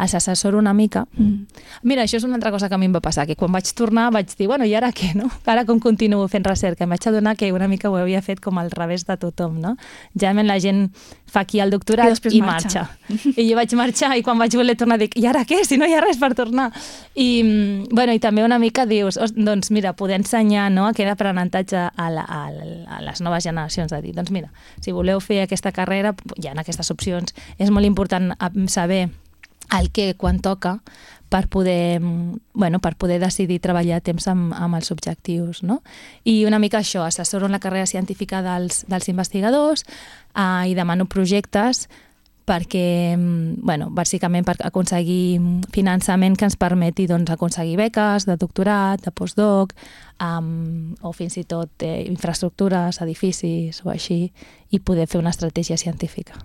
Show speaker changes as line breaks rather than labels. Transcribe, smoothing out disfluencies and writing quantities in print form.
els assessoro una mica. Mira, això és una altra cosa que a mi em va passar, que quan vaig tornar vaig dir, bueno, i ara què, no? Ara com continuo fent recerca? Em vaig adonar que una mica ho havia fet com al revés de tothom, no? Generalment la gent fa aquí el doctorat i marxa. I jo vaig marxar i quan vaig voler tornar dic, i ara què? Si no hi ha res per tornar. I també una mica dius, doncs mira, poder ensenyar, no, aquest aprenentatge a les noves generacions, de dir, doncs mira, si voleu fer aquesta carrera, hi ha aquestes opcions. És molt important saber el què, quan toca, per poder decidir treballar a temps amb els objectius, no? I una mica això, assessoro en la carrera científica dels investigadors i demano projectes perquè, bàsicament per aconseguir finançament que ens permeti aconseguir beques de doctorat, de postdoc, o fins i tot infraestructures, edificis o així, i poder fer una estratègia científica.